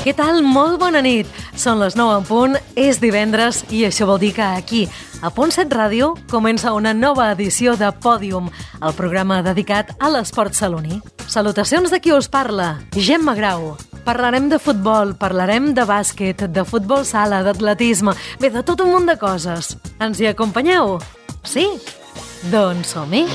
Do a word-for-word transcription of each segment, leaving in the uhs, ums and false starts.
Què tal? Molt bona nit. Són les nou en punt, és divendres i això vol dir que aquí, a Punt set Ràdio, comença una nova edició de Pòdium, el programa dedicat a l'esport saloní. Salutacions de qui us parla, Gemma Grau. Parlarem de futbol, parlarem de bàsquet, de futbol sala, d'atletisme, bé, de tot un munt de coses. Ens hi acompanyeu? Sí? Doncs som-hi.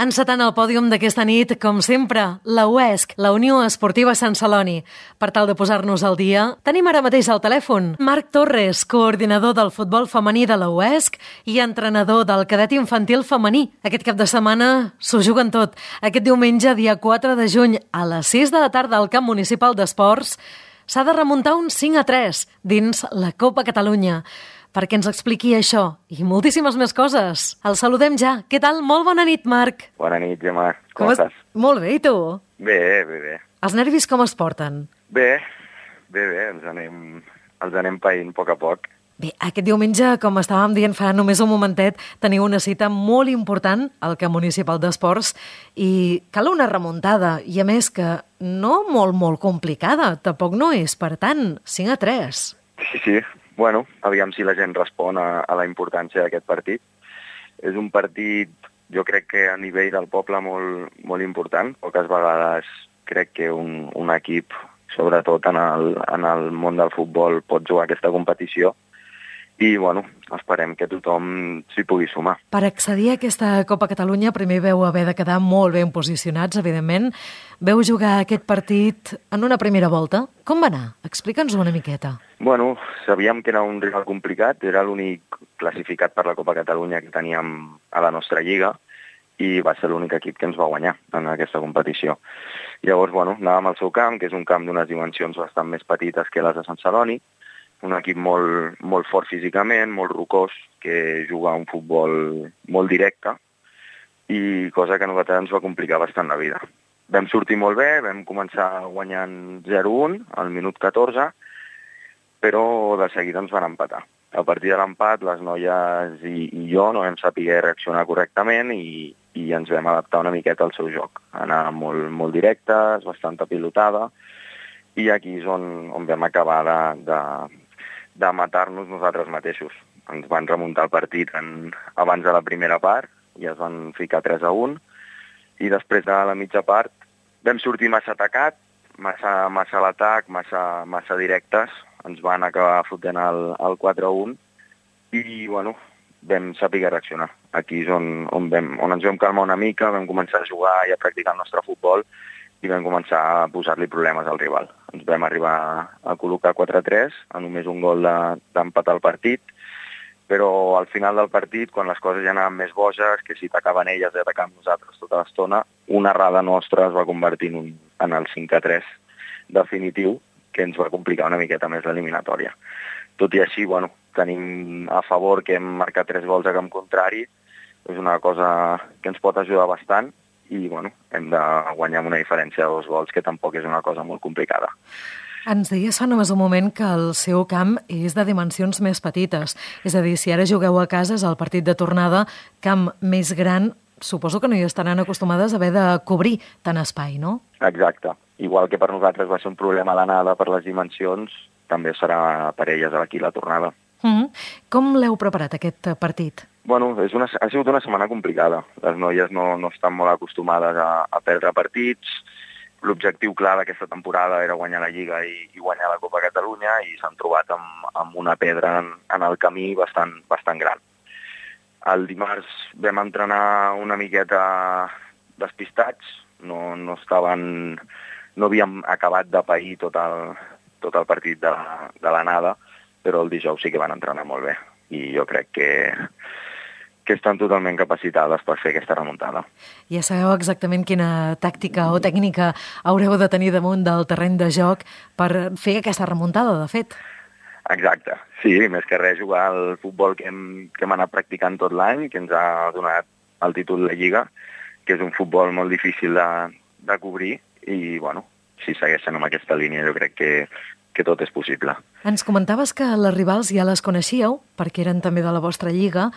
Encetant el pòdium d'aquesta nit, com sempre, la U E S C, la Unió Esportiva Sant Celoni. Per tal de posar-nos al dia, tenim ara mateix al telèfon Marc Torres, coordinador del futbol femení de la U E S C i entrenador del cadet infantil femení. Aquest cap de setmana s'ho juguen tot. Aquest diumenge, dia quatre de juny, a les sis de la tarda al Camp Municipal d'Esports, s'ha de remuntar un cinc a tres dins la Copa Catalunya. Perquè ens expliqui això i moltíssimes més coses. El saludem ja. Què tal? Molt bona nit, Marc. Bona nit, Gemma. Com, com estàs? Molt bé, i tu? Bé, bé, bé. Els nervis com es porten? Bé, bé, bé. Ens anem, els anem païnt a poc a poc. Bé, aquest diumenge, com estàvem dient fa només un momentet, teniu una cita molt important al Camp Municipal d'Esports i cal una remuntada. I a més que no molt, molt complicada. Tampoc no és per tant. cinc a tres. Sí, sí. Bueno, aviam si la gent respon a, a la importància d'aquest partit. És un partit, jo crec que a nivell del poble molt, molt important. Poques vegades crec que un, un equip, sobretot en el, en el món del futbol, pot jugar aquesta competició. I, bueno, esperem que tothom s'hi pugui sumar. Per accedir a aquesta Copa Catalunya primer veu haver de quedar molt ben posicionats, evidentment. Veu jugar aquest partit en una primera volta. Com va anar? Explica'ns una miqueta. Bueno, sabíem que era un rival complicat, era l'únic classificat per la Copa Catalunya que teníem a la nostra lliga i va ser l'únic equip que ens va guanyar en aquesta competició. Llavors, bueno, anàvem al seu camp, que és un camp d'unes dimensions bastant més petites que les de Sant Celoni, un equip molt, molt fort físicament, molt rocós, que juga un futbol molt directe i cosa que a nosaltres ens va complicar bastant la vida. Vam sortir molt bé, vam començar guanyant zero a un al minut catorze, però de seguida ens van empatar. A partir de l'empat, les noies i, i jo no vam saber reaccionar correctament i, i ens vam adaptar una miqueta al seu joc. Anar molt, molt directes, bastant pilotada, i aquí és on, on vam acabar de, de, de matar-nos nosaltres mateixos. Ens van remuntar el partit en, abans de la primera part i es van ficar tres a un i després de la mitja part vam sortir massa atacat, massa, massa a l'atac, massa, massa directes, ens van acabar fotent el, el quatre a un i bueno, vam saber reaccionar. Aquí és on, on, vam, on ens vam calmar una mica, vam començar a jugar i a practicar el nostre futbol i vam començar a posar-li problemes al rival. Ens vam arribar a col·locar quatre a tres, a només un gol d'empatar el partit, però al final del partit, quan les coses ja anaven més boges, que si atacaven elles i atacàvem nosaltres tota l'estona, una errada nostra es va convertir en, un, en el cinc a tres definitiu, que ens va complicar una miqueta més l'eliminatòria. Tot i així, bueno, tenim a favor que hem marcat tres gols a camp contrari, és una cosa que ens pot ajudar bastant, i bueno, hem de guanyar amb una diferència de dos gols, que tampoc és una cosa molt complicada. Ens deies fa només un moment que el seu camp és de dimensions més petites. És a dir, si ara jugueu a casa, és el partit de tornada, camp més gran, suposo que no hi estaran acostumades a haver de cobrir tant espai, no? Exacte. Igual que per nosaltres va ser un problema l'anada per les dimensions, també serà per elles aquí la tornada. Mm-hmm. Com l'heu preparat, aquest partit? Bueno, és una, ha sigut una setmana complicada. Les noies no, no estan molt acostumades a, a perdre partits. L'objectiu clar d'aquesta temporada era guanyar la Lliga i, i guanyar la Copa Catalunya i s'han trobat amb, amb una pedra en, en el camí bastant, bastant gran. El dimarts vam entrenar una miqueta despistats, no, no estaven, no havíem acabat de pair tot el, tot el partit de, de l'anada, però el dijous sí que van entrenar molt bé i jo crec que que estan totalment capacitades per fer aquesta remuntada. Ja sabeu exactament quina tàctica o tècnica haureu de tenir damunt del terreny de joc per fer aquesta remuntada, de fet. Exacte. Sí, més que res jugar al futbol que hem, que hem anat practicant tot l'any, que ens ha donat el títol de Lliga, que és un futbol molt difícil de, de cobrir i, bueno, si segueixen amb aquesta línia jo crec que, que tot és possible. Ens comentaves que les rivals ja les coneixíeu, perquè eren també de la vostra lliga.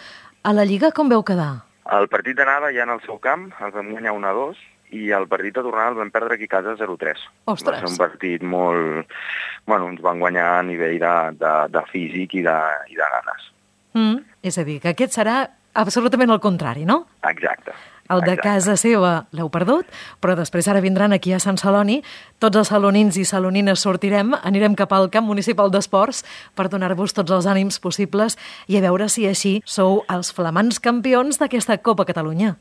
A la Lliga com veu quedar? El partit d'anada ja en el seu camp, els vam guanyar un a dos i el partit de tornada el vam perdre aquí a casa zero tres. Ostres! Va ser un partit molt... Bueno, ens van guanyar a nivell de, de, de físic i de, i de ganes. Mm, és a dir, que aquest serà absolutament el contrari, no? Exacte. El de exacte. casa seva l'heu perdut, però després ara vindran aquí a Sant Celoni, tots els salonins i salonines sortirem, anirem cap al camp municipal d'esports per donar-vos tots els ànims possibles i a veure si així sou els flamants campions d'aquesta Copa Catalunya.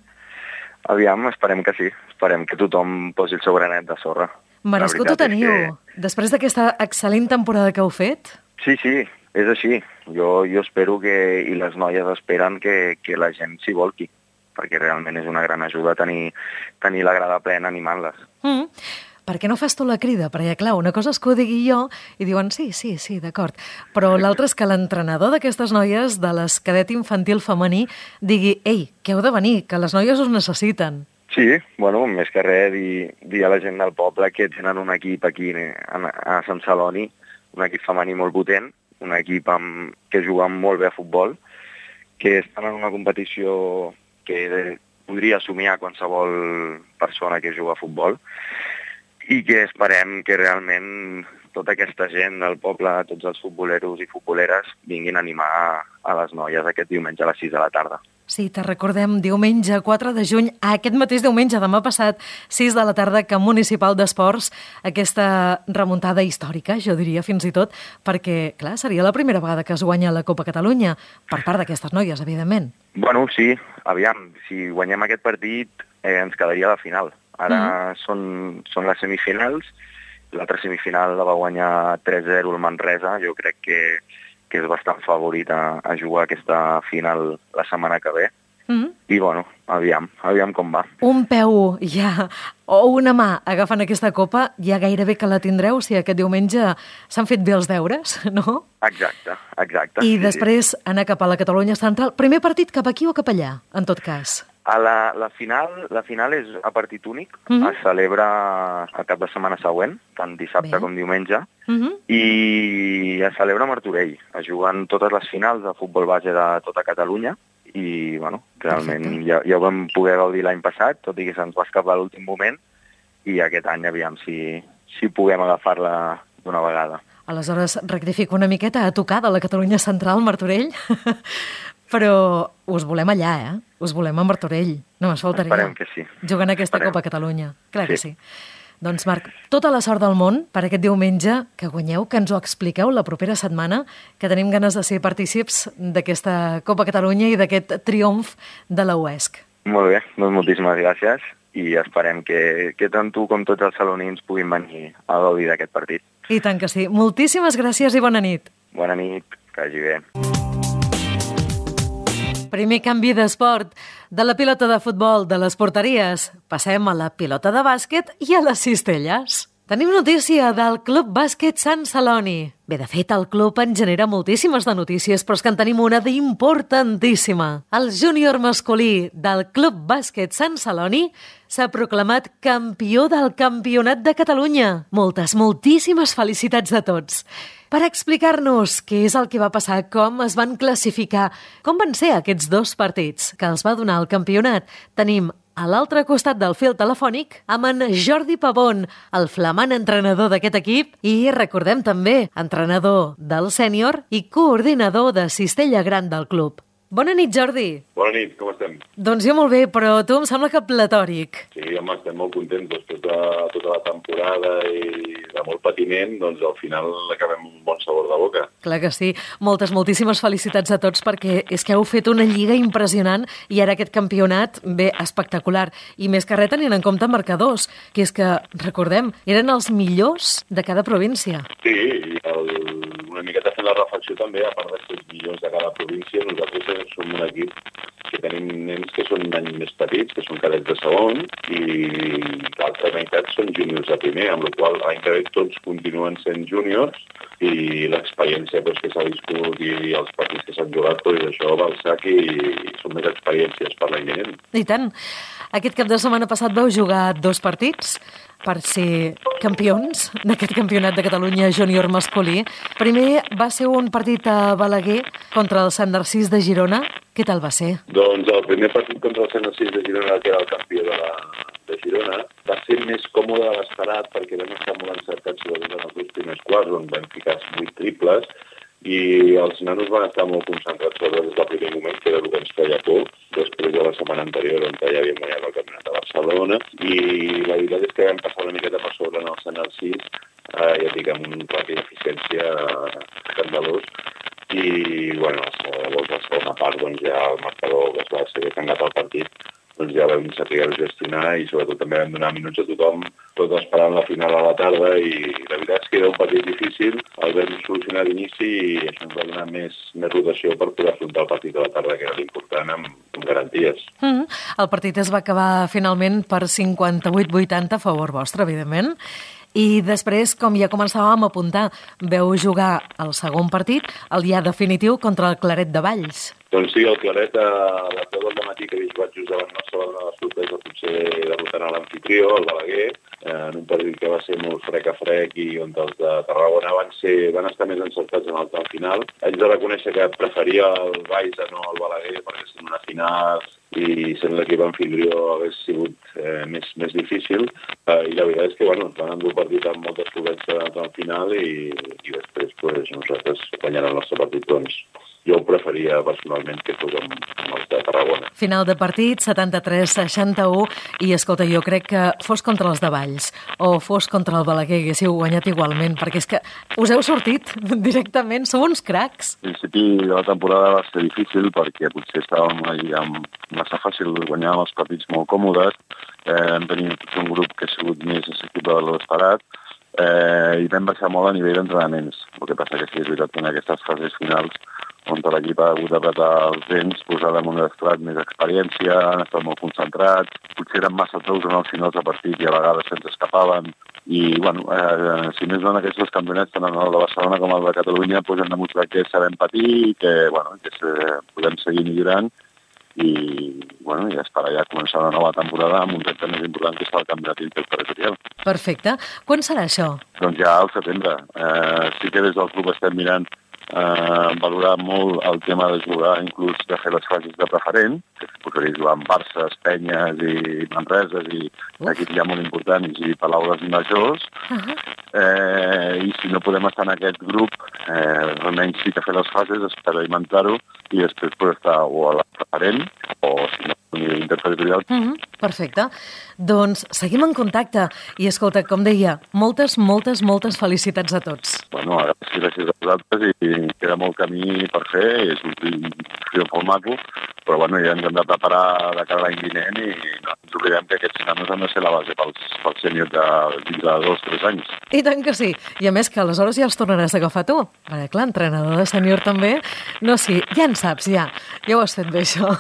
Aviam, esperem que sí. Esperem que tothom posi el seu granet de sorra. Merescut ho teniu. Que... Després d'aquesta excel·lent temporada que heu fet? Sí, sí, és així. Jo, jo espero que, i les noies esperen que, que la gent s'hi volqui, perquè realment és una gran ajuda tenir, tenir la grada plena animant-les. Mm. Per què no fas tu la crida? Perquè, clar, una cosa és que ho digui jo i diuen sí, sí, sí, d'acord. Però l'altra és que l'entrenador d'aquestes noies, de les cadet infantil femení, digui, ei, que heu de venir, que les noies us necessiten. Sí, bueno, més que res, dir, dir a la gent del poble que tenen un equip aquí a, a Sant Celoni, un equip femení molt potent, un equip amb, que juga molt bé a futbol, que estan en una competició que podria somiar qualsevol persona que juga a futbol, i que esperem que realment tota aquesta gent del poble, tots els futboleros i futboleres, vinguin a animar a les noies aquest diumenge a les sis de la tarda. Sí, te recordem, diumenge quatre de juny, aquest mateix diumenge, demà passat, sis de la tarda, Camp Municipal d'Esports, aquesta remuntada històrica, jo diria fins i tot, perquè, clar, seria la primera vegada que es guanya la Copa Catalunya, per part d'aquestes noies, evidentment. Bueno, sí, aviam, si guanyem aquest partit eh, ens quedaria a la final. Ara mm. són, són les semifinals, l'altra semifinal la va guanyar tres zero el Manresa, jo crec que, que és bastant favorit a, a jugar aquesta final la setmana que ve. Mm. I bueno, aviam, aviam com va. Un peu ja, o una mà agafant aquesta copa, ja gairebé que la tindreu si aquest diumenge s'han fet bé els deures, no? Exacte, exacte. I sí, després sí. anar cap a la Catalunya Central. Primer partit cap aquí o cap allà, en tot cas? A la, la, final, la final és a partit únic, mm-hmm. es celebra el cap de setmana següent, tant dissabte Bé. com diumenge, mm-hmm. i es celebra a Martorell. Es juguen totes les finals de futbol base de tota Catalunya, i bueno, realment ja, ja ho vam poder gaudir l'any passat, tot i que se'ns va escapar a l'últim moment, i aquest any aviam si, si puguem agafar-la d'una vegada. Aleshores, rectifico una miqueta, a tocar de la Catalunya Central, Martorell, però us volem allà, eh? Us volem a Martorell, només faltaria. Esperem que sí. Jugant aquesta Esperem. Copa Catalunya, clar sí. que sí. Doncs Marc, tota la sort del món per aquest diumenge, que guanyeu, que ens ho expliqueu la propera setmana, que tenim ganes de ser partícips d'aquesta Copa Catalunya i d'aquest triomf de la U E S C. Molt bé, doncs moltíssimes gràcies i esperem que, que tant tu com tots els salonins puguin venir a gaudir d'aquest partit. I tant que sí. Moltíssimes gràcies i bona nit. Bona nit, que vagi bé. Primer canvi d'esport. De la pilota de futbol de les porteries passem a la pilota de bàsquet i a les cistelles. Tenim notícia del Club Bàsquet Sant Celoni. Bé, de fet, el club en genera moltíssimes de notícies, però és que en tenim una d'importantíssima. El júnior masculí del Club Bàsquet Sant Celoni s'ha proclamat campió del Campionat de Catalunya. Moltes, moltíssimes felicitats a tots. Per explicar-nos què és el que va passar, com es van classificar, com van ser aquests dos partits que els va donar el campionat, tenim a l'altre costat del fil telefònic amb en Jordi Pavón, el flamant entrenador d'aquest equip i, recordem també, entrenador del sènior i coordinador de Cistella Gran del club. Bona nit, Jordi. Bona nit, com estem? Doncs jo molt bé, però tu em sembla que platòric. Sí, home, estem molt contents després de tota la temporada i de molt patiment, doncs al final acabem un bon sabor de boca. Clar que sí. Moltes, moltíssimes felicitats a tots perquè és que heu fet una lliga impressionant i ara aquest campionat, bé, espectacular. I més que res tenint en compte marcadors, que és que, recordem, eren els millors de cada província. Sí, i el, una miqueta fent la reflexió també, a part de ser els millors de cada província, nosaltres som un equip que tenim nens que són un any més petits, que són cadets de segon, i l'altra meitat són júniors de primer, amb la qual cosa l'any que ve tots continuen sent júniors i l'experiència doncs, que s'ha viscut i els partits que s'han jugat, doncs, això va al sac i són més experiències per l'any vinent. I tant. Aquest cap de setmana passat vau jugar dos partits per ser campions d'aquest campionat de Catalunya júnior masculí. Primer va ser un partit a Balaguer contra el Sant Narcís de Girona. Què tal va ser? Doncs el primer partit contra el Sant Narcís de Girona, que era el campió de la, de Girona. Va ser més còmode de l'esperat perquè vam estar molt encertats sobretot en els dos primers quarts, on vam ficar vuit triples, i els nanos van estar molt concentrats sobretot des del primer moment, que era el que ens feia por, després de la setmana anterior, on ja havíem guanyat el campionat de Barcelona, i la veritat és que vam passar una miqueta per sobre en el Senal sis, eh, ja dic, amb un ràpid d'eficiència escandalós, i, bueno, llavors la segona part, doncs ja el marcador que es va ser tancat al partit, doncs ja vam saber gestionar i sobretot també vam donar minuts a tothom, tot esperant la final a la tarda, i la veritat és que era un partit difícil, el vam solucionar d'inici i això ens va donar més, més rotació per poder afrontar el partit de la tarda, que era l'important, amb, amb garanties. Mm-hmm. El partit es va acabar finalment per cinquanta-vuit vuitanta a favor vostre, evidentment. I després, com ja començàvem a apuntar, veu jugar el segon partit, el ja definitiu, contra el Claret de Valls. Doncs sí, el Claret, a les deu del matí que havia jugat just davant nostre, va donar la sorpresa potser derrotant a l'amfitrió, el Balaguer, en un partit que va ser molt frec a frec i on els de Tarragona van, ser, van estar més encertats en el tram final. Haig de reconèixer que preferia el Valls a no el Balaguer, perquè sent una final i sent l'equip anfitrió hagués sigut eh, més, més difícil, eh, i la veritat és que bueno, van endur el partit amb moltes solvència en el tram final i, i després pues, nosaltres guanyant el nostre partit, doncs jo ho preferia personalment que fos amb, amb els de Tarragona. Final de partit, setanta-tres seixanta-u, i escolta, jo crec que fos contra els de Valls o fos contra el Balaguer, haguéssiu guanyat igualment, perquè és que us heu sortit directament, sou uns cracs. Al principi de la temporada va ser difícil perquè potser estàvem una lliga massa fàcil, guanyàvem els partits molt còmodes, eh, hem tenit un grup que ha sigut més assequible de l'esperat, eh, i vam baixar molt a nivell d'entrenaments. El que passa que sí, és veritat que en aquestes fases finals on l'equip ha hagut d'apretar els dents, posar damunt d'estrat més experiència, han estat molt concentrats, potser eren massa tous en els finals de partit i a vegades se'ns escapaven. I, bueno, eh, si més no en aquests dos campionats, tant el de Barcelona com el de Catalunya, pues, hem demostrat que sabem patir i que, bueno, que se, podem seguir millorant i, bueno, i esperar ja començar una nova temporada amb un repte més important que és el campionat interterritorial. Perfecte. Quan serà això? Doncs ja al setembre. Eh, sí que des del club estem mirant Uh, valorar molt el tema de jugar, inclús de fer les fases de preferent, que es podria jugar amb Barces, Penyes i Manreses i equips ja molt importants i Palaules i Majors. Uh-huh. eh, I si no podem estar en aquest grup, eh, almenys sí que fer les fases, experimentar-ho i després poder estar o a la preferent o si no a nivell interterritorial. Uh-huh. Perfecte. Doncs seguim en contacte i escolta, com deia, moltes, moltes, moltes felicitats a tots. Bueno, gràcies, gràcies a vosaltres i queda molt camí per fer, és un triomf molt maco, però bueno, ja ens hem de preparar de cara a l'any vinent i no ens oblidem que aquests nanos han de ser la base pels, pels sèniors de dins de dos o tres anys. I tant que sí, i a més que aleshores ja els tornaràs a agafar tu, perquè clar, entrenador de sènior també, no, sí, ja en saps, ja, ja ho has fet bé això.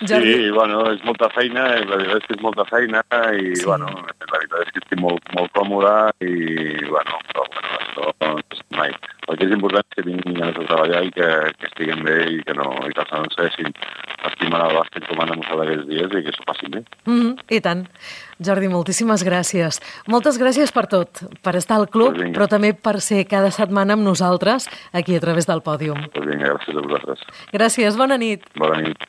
Jordi. Sí, bueno, és molta feina, la veritat és que és molta feina i, sí. bueno, la veritat és que estic molt, molt còmode i, bueno, però, bueno, això no és mai. El que és important és que tinguin ganes de treballar i que, que estiguin bé i que no, i que els nanos segueixin estimant el bàsquet com han demostrat aquests dies i que s'ho passin bé. Mm, I tant. Jordi, moltíssimes gràcies. Moltes gràcies per tot, per estar al club, pues però també per ser cada setmana amb nosaltres aquí a través del pòdium. Pues vinga, gràcies a vosaltres. Gràcies, bona nit. Bona nit.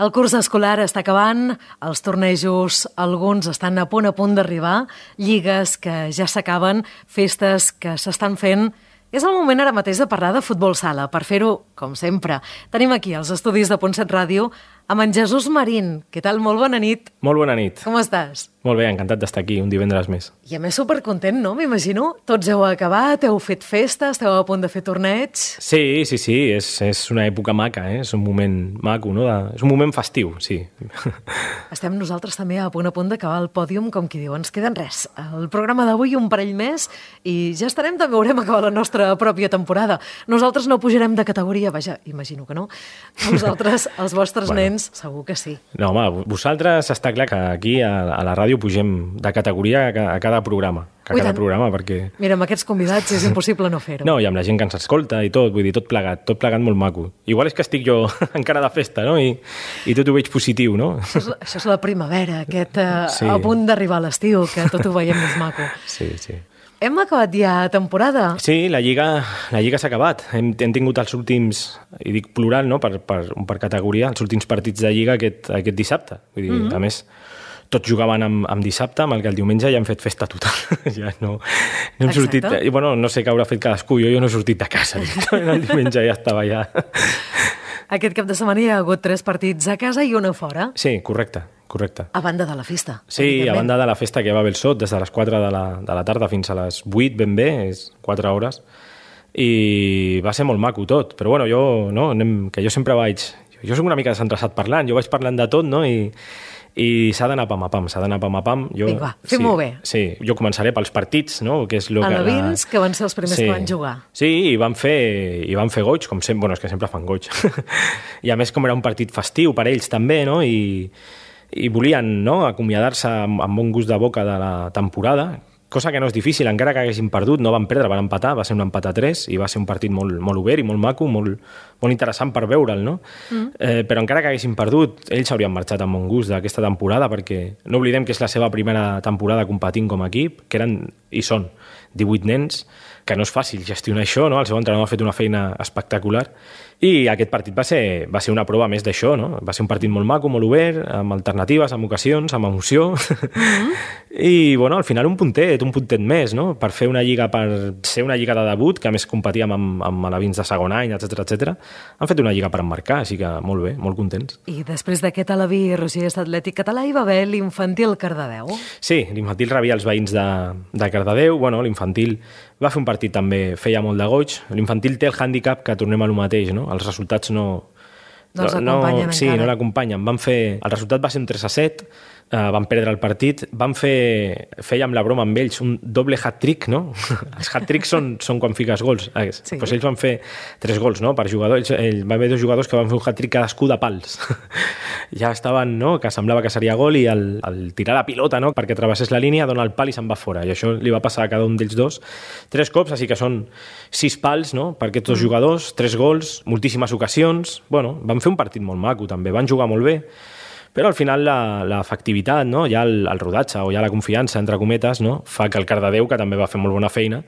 El curs escolar està acabant, els tornejos, alguns estan a punt a punt d'arribar, lligues que ja s'acaben, festes que s'estan fent. És el moment ara mateix de parlar de futbol sala. Per fer-ho, com sempre, tenim aquí als estudis de Punt set Ràdio amb en Jesús Marín. Què tal? Molt bona nit. Molt bona nit. Com estàs? Molt bé, encantat d'estar aquí un divendres més. I a més supercontent, no? M'imagino. Tots heu acabat, heu fet festes, esteu a punt de fer torneig. Sí, sí, sí, és, és una època maca, eh? És un moment maco, no? De... És un moment festiu, sí. Estem nosaltres també a punt a punt d'acabar el pòdium, com qui diu, ens queden res. El programa d'avui un parell més i ja estarem, també haurem acabat la nostra pròpia temporada. Nosaltres no pujarem de categoria, vaja, imagino que no. Vosaltres, els vostres bueno, nens, segur que sí. No, home, vosaltres està clar que aquí a, a la ràdio pugem de categoria a, a cada programa, a cada programa, perquè... Mira, amb aquests convidats és impossible no fer-ho. No, i amb la gent que ens escolta i tot, vull dir, tot plegat, tot plegat molt maco. Igual és que estic jo encara de festa, no? I, i tot ho veig positiu, no? Això és, això és la primavera, aquest uh, sí. a punt d'arribar a l'estiu, que tot ho veiem més maco. Sí, sí. Hem acabat ja temporada. Sí, la Lliga, la Lliga s'ha acabat. Hem, hem tingut els últims, i dic plural, no? per, per, per categoria, els últims partits de Lliga aquest, aquest dissabte. Vull dir, mm-hmm. A més, tots jugaven amb, amb dissabte, amb el que el diumenge ja han fet festa total. ja no, no hem sortit... Bueno, no sé què haurà fet cadascú, jo, jo no he sortit de casa. El diumenge ja estava ja... Aquest cap de setmana hi ha hagut tres partits a casa i una fora. Sí, correcte, correcte. A banda de la festa. Sí, a banda de la festa que va bé el sot, des de les quatre de la, de la tarda fins a les vuit ben bé, és quatre hores, i va ser molt maco tot. Però bueno, jo, no, anem, que jo sempre vaig... Jo soc una mica desinteressat parlant, jo vaig parlant de tot, no?, i... i s'ha d'anar pam a pam, s'ha d'anar pam a pam. Jo, Vinga, va, fem-ho sí, bé. Sí, jo començaré pels partits, no? Que és lo que, alevins, la... que van ser els primers sí. que van jugar. Sí, i van fer, i van fer goig, com sempre, bueno, és que sempre fan goig. I a més, com era un partit festiu per ells també, no? I, i volien, no?, acomiadar-se amb, amb bon gust de boca de la temporada, cosa que no és difícil, encara que haguessin perdut, no van perdre, van empatar, va ser un empat a tres i va ser un partit molt, molt obert i molt maco, molt, molt interessant per veure'l, no? Mm. Eh, però encara que haguessin perdut, ells haurien marxat amb bon gust d'aquesta temporada, perquè no oblidem que és la seva primera temporada competint com a equip, que eren, i són, divuit nens, que no és fàcil gestionar això, no? El seu entrenador ha fet una feina espectacular, i aquest partit va ser, va ser una prova més d'això, no? Va ser un partit molt maco, molt obert, amb alternatives, amb ocasions, amb emoció, mm-hmm. i, bueno, al final un puntet, un puntet més, no? Per fer una lliga, per ser una lliga de debut, que a més competíem amb, amb alevins de segon any, etcètera, etcètera, han fet una lliga per emmarcar, així que molt bé, molt contents. I després d'aquest aleví Rogers Atlètic Català hi va haver l'infantil Cardedeu. Sí, l'infantil rebia els veïns de, de Cardedeu, bueno, l'infantil va fer un partit també, feia molt de goig. L'infantil té el hàndicap que tornem a lo mateix, no? Els resultats no... No els acompanyen no, sí, encara. Sí, no l'acompanyen. Van fer... El resultat va ser un tres a set, eh, van perdre el partit, van fer... Fèiem la broma amb ells, un doble hat-trick, no? Els hat-tricks són, són quan fiques gols. Eh, sí. Pues ells van fer tres gols, no?, per jugador. Ells, ells, va haver dos jugadors que van fer un hat-trick cadascú de pals. Ja estaven, no?, que semblava que seria gol i el, el tirar la pilota, no?, perquè travessés la línia, dona el pal i se'n va fora. I això li va passar a cada un d'ells dos tres cops, així que són sis pals, no?, per aquests dos mm. jugadors, tres gols, moltíssimes ocasions. Bueno, van fer un partit molt maco, també. Van jugar molt bé, però al final l'efectivitat, no?, ja el, el rodatge o ja la confiança, entre cometes, no?, fa que el Cardedeu, que també va fer molt bona feina,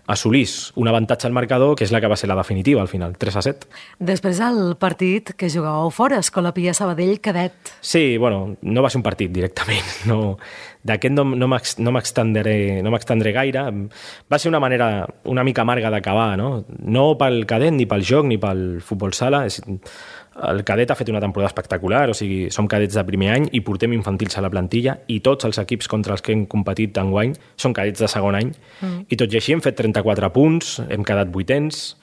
assolís un avantatge al marcador, que és la que va ser la definitiva, al final, tres a set. Després el partit que jugàveu fora, Escola Pia Sabadell Cadet. Sí, bueno, no va ser un partit directament. No, d'aquest no, no m'extendré no m'extendré gaire. Va ser una manera una mica amarga d'acabar, no? No pel cadet, ni pel joc, ni pel futbol sala. És, el cadet ha fet una temporada espectacular, o sigui, som cadets de primer any i portem infantils a la plantilla i tots els equips contra els que hem competit enguany són cadets de segon any. Mm. I tot i així hem fet trenta-quatre punts, hem quedat vuitens,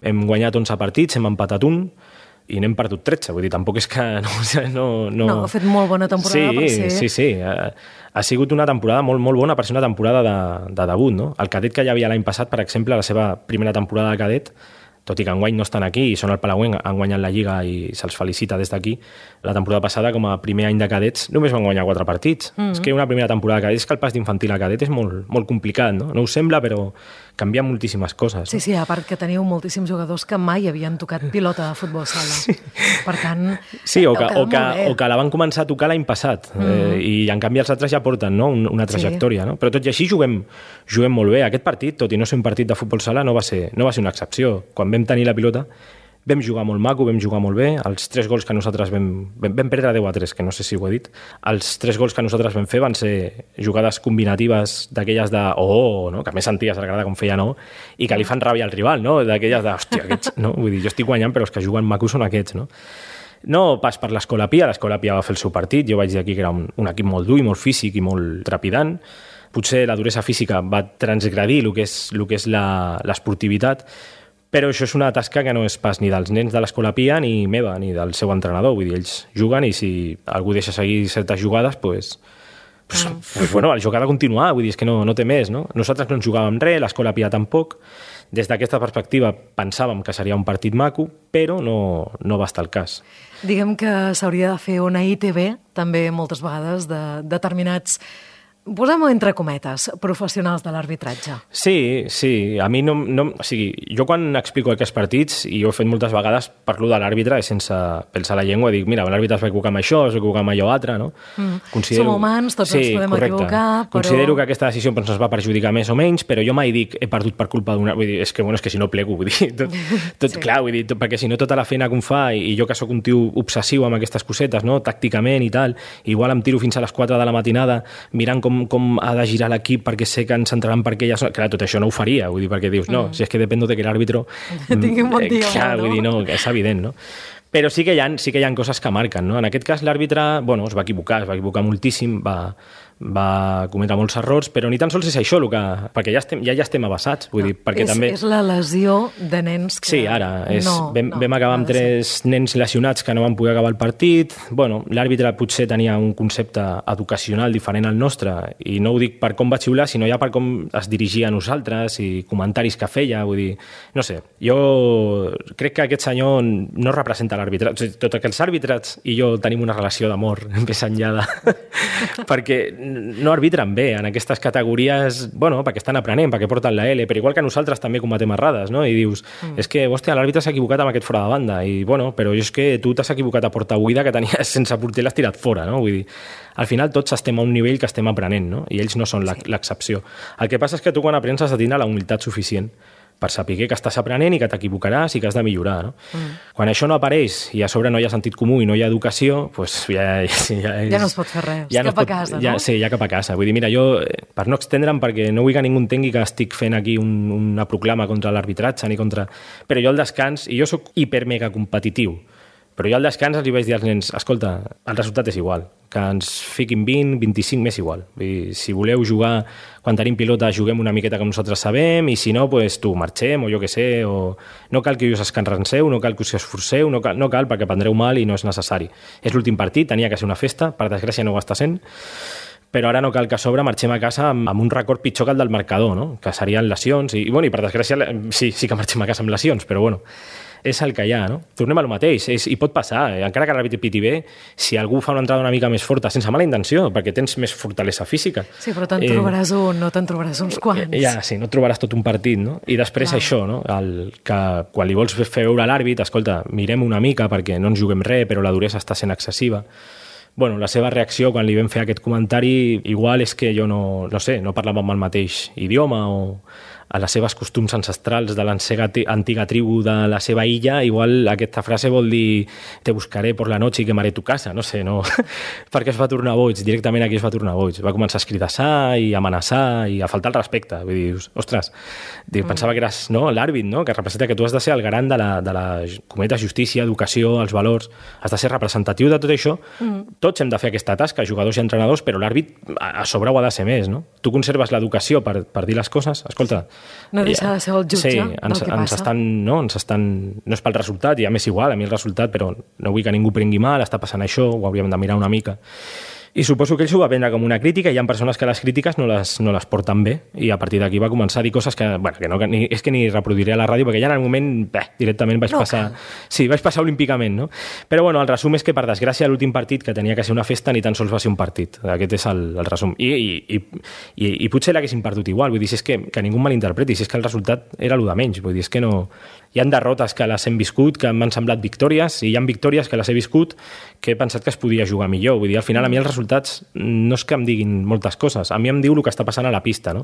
hem guanyat onze partits, hem empatat un i n'hem perdut tretze, vull dir, tampoc és que... No, no, no... no ha fet molt bona temporada sí, per ser... Sí, sí, ha, ha sigut una temporada molt, molt bona per ser una temporada de, de debut, no? El cadet que hi havia l'any passat, per exemple, la seva primera temporada de cadet, tot i que enguany no estan aquí i són el Palauenc, han guanyat la Lliga i se'ls felicita des d'aquí, la temporada passada, com a primer any de cadets, només van guanyar quatre partits. Mm-hmm. És que una primera temporada de cadets, és que el pas d'infantil a cadet és molt, molt complicat, no? No us sembla, però canvia moltíssimes coses. Sí, no? sí, a part que teniu moltíssims jugadors que mai havien tocat pilota de futbol sala. Sí. Per tant, sí, o que, o, que, o que la van començar a tocar l'any passat, mm-hmm. eh, i en canvi els altres ja porten, no?, una trajectòria, sí. No? Però tot i així juguem, juguem molt bé. Aquest partit, tot i no ser un partit de futbol sala, no va ser, no va ser una excepció. Quan vam tenir la pilota, vam jugar molt maco, vam jugar molt bé. Els tres gols que nosaltres vam... Vam, vam perdre deu a tres, que no sé si ho he dit. Els tres gols que nosaltres vam fer van ser jugades combinatives d'aquelles de oh, no? Que més senties a la grada com feia no, i que li fan ràbia al rival, no? D'aquelles de, hòstia, aquests... No? Vull dir, jo estic guanyant, però els que juguen maco són aquests, no? No pas per l'Escola Pia, l'Escola Pia va fer el seu partit, jo vaig dir aquí que era un, un equip molt dur i molt físic i molt trepidant. Potser la duresa física va transgredir el que és, el que és la, l'esportivitat, però això és una tasca que no és pas ni dels nens de l'Escola Pia ni meva, ni del seu entrenador. Vull dir, ells juguen i si algú deixa seguir certes jugades, pues, pues, mm. pues bueno, el joc ha de continuar, vull dir, és que no, no té més, no? Nosaltres no ens jugàvem res, l'Escola Pia tampoc. Des d'aquesta perspectiva pensàvem que seria un partit maco, però no, no va estar el cas. Diguem que s'hauria de fer una I T V, també moltes vegades, de determinats posem-ho entre cometes, professionals de l'arbitratge. Sí, sí. A mi no, no... O sigui, jo quan explico aquests partits, i ho he fet moltes vegades, parlo de l'àrbitre i sense pensar la llengua, dic, mira, l'àrbitre es va equivocar amb això, es va equivocar amb allò altre, no? Mm. Considero... Som humans, tots sí, ens podem correcte. equivocar, però... Considero que aquesta decisió ens va perjudicar més o menys, però jo mai dic he perdut per culpa d'una... Vull dir, és que, bueno, és que si no plego, vull dir, tot, tot sí. Clar, vull dir, tot, perquè si no tota la feina que em fa, i, i jo que sóc un tio obsessiu amb aquestes cosetes, no? Tàcticament i tal, igual em tiro fins a les quatre de la matinada mirant com, com ha de girar l'equip perquè sé que ens entraran perquè ja... Clar, tot això no ho faria, vull dir, perquè dius, no, mm. si és que dependo de que l'àrbitro... Tingui un bon dia, clar, no? Vull dir, no, és evident, no? Però sí que hi ha, sí que hi ha coses que marquen, no? En aquest cas l'àrbitre, bueno, es va equivocar, es va equivocar moltíssim, va, va cometre molts errors, però ni tan sols és això, el que, perquè ja estem, ja, ja estem abassats, vull no, dir, perquè és, també... És la lesió de nens que... Sí, ara, és, no, vam, no, vam acabar amb tres nens lesionats que no van poder acabar el partit, bueno, l'àrbitre potser tenia un concepte educacional diferent al nostre, i no ho dic per com va xiular, sinó ja per com es dirigia a nosaltres i comentaris que feia, vull dir, no sé, jo crec que aquest senyor no representa l'àrbitre, o sigui, tot que els àrbitres i jo tenim una relació d'amor més enllà de... perquè no arbitren bé en aquestes categories, bueno, perquè estan aprenent, perquè porten la L, però igual que nosaltres també cometem errades, no? I dius, mm. és que, hòstia, l'àrbitre s'ha equivocat amb aquest fora de banda, i bueno, però és que tu t'has equivocat a porta buida que tenies sense porter, l'has tirat fora, no? Vull dir, al final tots estem a un nivell que estem aprenent, no? I ells no són l'excepció. El que passa és que tu quan aprens has de tindre la humilitat suficient per saber que estàs aprenent i que t'equivocaràs i que has de millorar, no? Mm. Quan això no apareix i a sobre no hi ha sentit comú i no hi ha educació, doncs ja, ja, ja, és, ja no es pot fer res, ja cap no pot, a casa, ja, no? Sí, ja cap a casa. Vull dir, mira, jo, per no extendre'm, perquè no vull que ningú entengui que estic fent aquí un, una proclama contra l'arbitratge ni contra... Però jo al descans, i jo sóc hiper-mega competitiu, però jo al descans els hi vaig dir als nens, escolta, el resultat és igual, que ens fiquin vint, vint-i-cinc, m'és igual. Vull dir, si voleu jugar, quan tenim pilota, juguem una miqueta que nosaltres sabem, i si no, pues, tu marxem, o jo què sé, o no cal que us escanranceu, no cal que us esforceu, no cal, no cal perquè prendreu mal i no és necessari. És l'últim partit, tenia que ser una festa, per desgràcia no ho està sent, però ara no cal que a sobre marxem a casa amb, amb un record pitjor que el del marcador, no? Que serien lesions, i, i, bueno, i per desgràcia sí, sí que marxem a casa amb lesions, però bueno, és el que hi ha, no? Tornem a lo mateix, és, i pot passar, eh? Encara que l'àrbitre piti bé, si algú fa una entrada una mica més forta, sense mala intenció, perquè tens més fortalesa física. Sí, però te'n trobaràs eh, un, no te'n trobaràs uns quants. Ja, sí, no trobaràs tot un partit, no? I després Clar. Això, no? El, que quan li vols fer veure a l'àrbit, escolta, mirem una mica perquè no ens juguem res, però la duresa està sent excessiva. Bueno, la seva reacció quan li vam fer aquest comentari igual és que jo no, no sé, no parlàvem el mateix idioma o a les seves costums ancestrals de l'antiga tribu de la seva illa, igual aquesta frase vol dir te buscaré por la noche i quemaré tu casa, no sé, no? Perquè es va tornar boig, directament aquí es va tornar boig. Va començar a escridassar i a amenaçar i a faltar el respecte. Vull dir, ostres, mm. pensava que eres no, l'àrbit, no? Que representa que tu has de ser el garant de la, de la cometa justícia, educació, els valors, has de ser representatiu de tot això. Mm. Tots hem de fer aquesta tasca, jugadors i entrenadors, però l'àrbit a sobre ho ha de ser més, no? Tu conserves l'educació per, per dir les coses, escolta... No deixa de ser el jutge sí, del ens, que ens passa. Estan, no, ens estan, no és pel resultat, i a més igual, a mi el resultat, però no vull que ningú prengui mal, està passant això, ho hauríem de mirar una mica. I suposo que ell s'ho va prendre com una crítica, i hi ha persones que les crítiques no les, no les porten bé, i a partir d'aquí va començar a dir coses que, bueno, que, no, que ni, és que ni reproduiré a la ràdio, perquè ja en el moment, bé, directament vaig no, passar... Que... Sí, vaig passar olímpicament, no? Però bueno, el resum és que, per desgràcia, l'últim partit, que tenia que ser una festa, ni tan sols va ser un partit. Aquest és el, el resum. I, i, i, i potser l'haguessin perdut igual, vull dir, si és que, que ningú malinterpreti, si és que el resultat era el de menys, vull dir, és que no... Hi ha derrotes que les hem viscut, que m'han semblat victòries, i hi ha victòries que les he viscut que he pensat que es podia jugar millor. Vull dir, al final, a mi els resultats no és que em diguin moltes coses, a mi em diu el que està passant a la pista, no?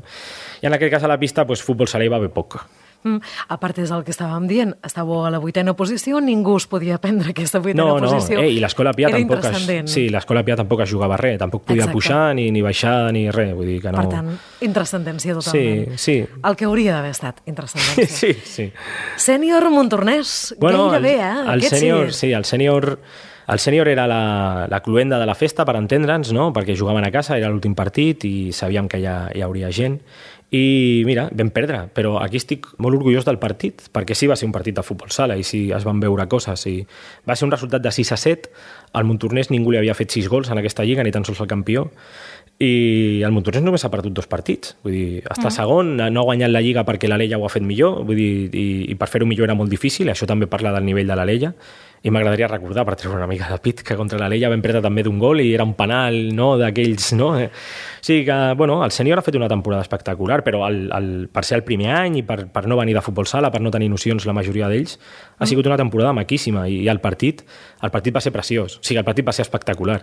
I en aquest cas a la pista, pues, futbol sala hi va haver poc. Mm, a part és el que estàvem dient, estàveu a la vuitena posició, ningú es podia prendre aquesta vuitena no, no. posició. No, eh, i l'Escola Pia tampoc es, sí, l'Escola Pia tampoc es jugava res, tampoc podia Exacte. Pujar ni, ni baixar ni res, vull dir que no... Per tant, intrascendència totalment. Sí, sí. El que hauria d'haver estat, intrascendència. Sí, sí. Sènior Montornès, bueno, gairebé, eh? El, el sènior, sí, el sènior... El sènior era la, la cluenda de la festa, per entendre'ns, no? Perquè jugaven a casa, era l'últim partit i sabíem que ja hi hauria gent. I mira, vam perdre, però aquí estic molt orgullós del partit, perquè sí va ser un partit de futbol sala i sí es van veure coses. I va ser un resultat de sis a set, al Montornès ningú li havia fet sis gols en aquesta lliga, ni tan sols el campió, i el Montornès només ha perdut dos partits. Vull dir, està mm. segon, no ha guanyat la lliga perquè l'Alella ho ha fet millor, vull dir, i, i per fer-ho millor era molt difícil, això també parla del nivell de l'Alella, I m'agradaria recordar, per treure una mica de pit, que contra l'Alella vam perdre també d'un gol i era un penal, no?, d'aquells, no? O sigui que, bueno, el sènior ha fet una temporada espectacular, però el, el, per ser el primer any i per, per no venir de futbol sala, per no tenir nocions la majoria d'ells, ha sigut una temporada maquíssima i, i el partit el partit va ser preciós, o sigui, el partit va ser espectacular.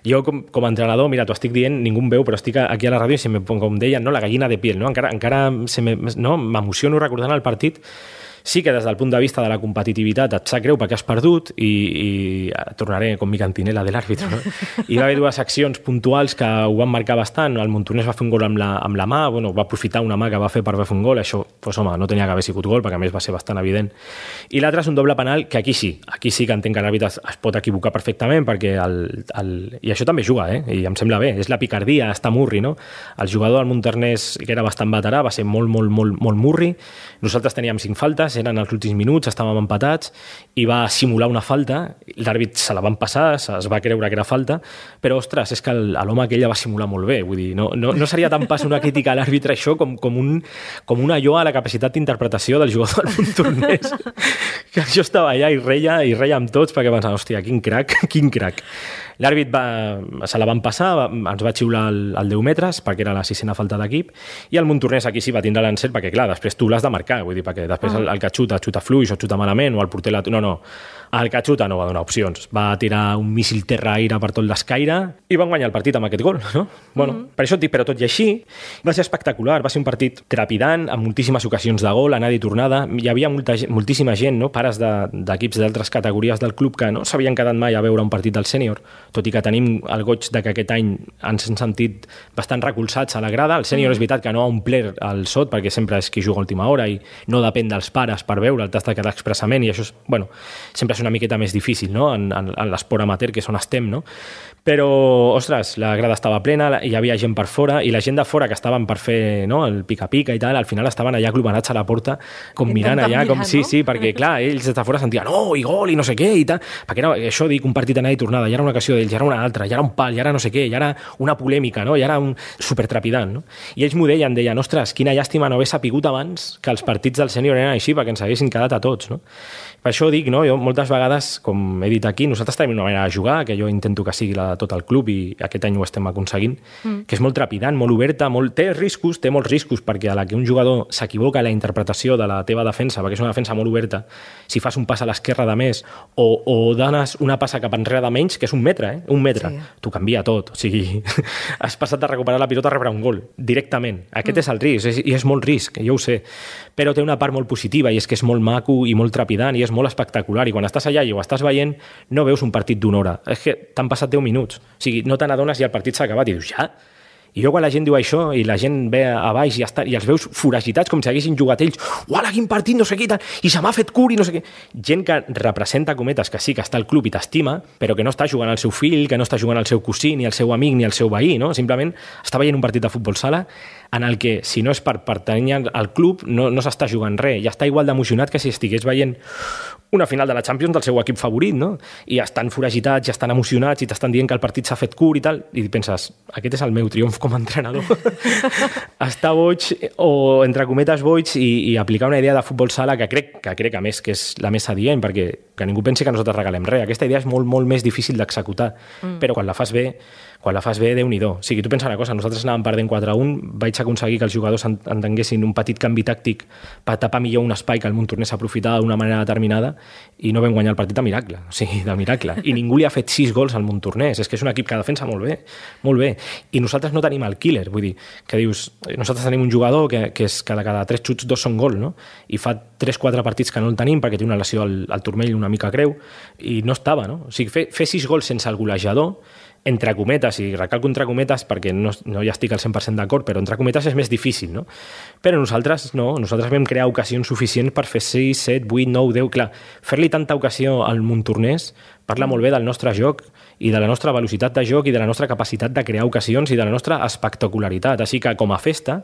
Jo, com, com a entrenador, mira, t'ho estic dient, ningú em veu, però estic aquí a la ràdio i se me, com deien, no, la gallina de piel, no? Encara, encara se me, no? m'emociono recordant el partit. Sí que des del punt de vista de la competitivitat et sap greu perquè has perdut i, i tornaré com mi cantinela de l'àrbitre, no? Hi va haver dues accions puntuals que ho van marcar bastant. El Montornès va fer un gol amb la, amb la mà, bueno, va aprofitar una mà que va fer per fer un gol, això, pues, home, no tenia que haver sigut gol perquè a més va ser bastant evident. I l'altre és un doble penal que aquí sí, aquí sí que entenc que l'àrbitre es, es pot equivocar perfectament perquè el, el, i això també juga, eh? I em sembla bé, és la picardia, està murri, no? El jugador del Montornès, que era bastant veterà, va ser molt, molt, molt, molt murri. Nosaltres teníem cinc faltes, eren els últims minuts, estàvem empatats i va simular una falta, l'àrbit se la van passar, es va creure que era falta, però, ostres, és que l'home aquell va simular molt bé, vull dir, no, no, no seria tan pas una crítica a l'àrbitre això com, com, un, com una lloa a la capacitat d'interpretació del jugador del Montornès, que jo estava allà i reia, i reia amb tots perquè pensava, hòstia, quin crac, quin crac. L'àrbit va, se la van passar, va, ens va xiular el, el deu metres, perquè era la sisena falta d'equip, i el Montornès aquí sí va tindre l'encert, perquè clar, després tu l'has de marcar, vull dir, perquè després el, el que xuta, xuta fluix o xuta malament, o el porter... La... No, no, el que xuta no va donar opcions. Va tirar un míssil terra-aire per tot l'escaire i van guanyar el partit amb aquest gol, no? Bueno, mm-hmm. Per això et dic, però tot i així, va ser espectacular, va ser un partit trepidant, amb moltíssimes ocasions de gol, anada i tornada. Hi havia molta, moltíssima gent, no? Pares d'equips de, d'altres categories del club que no s'havien quedat mai a veure un partit del sènior, tot i que tenim el goig de que aquest any ens hem sentit bastant recolzats a la grada. El sènior mm. és veritat que no ha omplert el sot perquè sempre és qui juga a última hora i no depèn dels pares per veure, el t'has de quedar expressament i això és, bueno, sempre és una miqueta més difícil, no? En, en, en l'esport amateur, que és on estem, no? Però, ostres, la grada estava plena, hi havia gent per fora i la gent de fora que estaven per fer, no, el pica-pica i tal, al final estaven allà aglomerats a la porta com mirant allà, com sí, sí, perquè clar, ells des de fora sentien oh, i gol, i no sé què, i tal, perquè era això, dic, un partit anada i tornada, ja era una ocasió d'ells, ja era una altra, ja era un pal, ja era no sé què, ja era una polèmica, no? Ja era un supertrepidant, no? I ells m'ho deien, deien, ostres, quina llàstima no haver sapigut abans que els partits del sènior eren així, perquè ens haguessin quedat a tots, no? Per això dic, no? Jo moltes vegades, com he dit aquí, nosaltres tenim una manera de jugar, que jo intento que sigui la de tot el club i aquest any ho estem aconseguint, mm. que és molt trepidant, molt oberta, molt... té riscos, té molts riscos, perquè a la que un jugador s'equivoca la interpretació de la teva defensa, perquè és una defensa molt oberta, si fas un pas a l'esquerra de més o, o dones una passa cap enrere de menys, que és un metre, eh? Un metre, sí. T'ho canvia tot. O sigui, has passat de recuperar la pilota a rebre un gol, directament. Aquest mm. és el risc, és, i és molt risc, jo ho sé, però té una part molt positiva i és que és molt maco i molt trepidant i és molt espectacular i quan estàs allà i ho estàs veient no veus un partit d'una hora, és que t'han passat deu minuts, o sigui, no te n'adones i el partit s'ha acabat i dius, ja? I jo quan la gent diu això i la gent ve a baix i, està, i els veus foragitats com si haguessin jugat ells, uala, quin partit, no sé què, i, tal, i se m'ha fet curi, no sé què. Gent que representa, cometes, que sí que està al club i t'estima, però que no està jugant al seu fill, que no està jugant al seu cosí, ni al seu amic, ni al seu veí, no? Simplement està veient un partit de futbol sala en el que, si no és per pertànyer al club, no, no s'està jugant res. I està igual d'emocionat que si estigués veient una final de la Champions del seu equip favorit, no? I estan foragitats, i estan emocionats, i t'estan dient que el partit s'ha fet curt i tal, i penses, aquest és el meu triomf com a entrenador. Estar boig, o entre cometes boig, i, i aplicar una idea de futbol sala que crec, que crec a més que és la més adient, perquè que ningú pensi que nosaltres regalem res. Aquesta idea és molt, molt més difícil d'executar, mm. però quan la fas bé, quan la fas bé, Déu-n'hi-do. O sigui, tu pensa una cosa, nosaltres anàvem perdent quatre a un, vaig aconseguir que els jugadors entenguessin un petit canvi tàctic per tapar millor un espai que el Montornès s'aprofitava d'una manera determinada i no vam guanyar el partit de miracle, o sigui, de miracle. I ningú li ha fet sis gols al Montornès, és que és un equip que defensa molt bé, molt bé. I nosaltres no tenim el killer, vull dir, que dius, nosaltres tenim un jugador que, que és que de cada tres xuts dos són gol, no? I fa tres quatre partits que no el tenim perquè té una lesió al, al turmell una mica greu i no estava, no? O sigui, fer, fer sis gols sense el golejador, entre cometes, i recalco entre cometes perquè no, no hi estic al cent per cent d'acord, però entre cometes és més difícil, no? Però nosaltres no, nosaltres vam crear ocasions suficients per fer sis, set, vuit, nou, deu, clar, fer-li tanta ocasió al Montornès parla molt bé del nostre joc i de la nostra velocitat de joc i de la nostra capacitat de crear ocasions i de la nostra espectacularitat, així que com a festa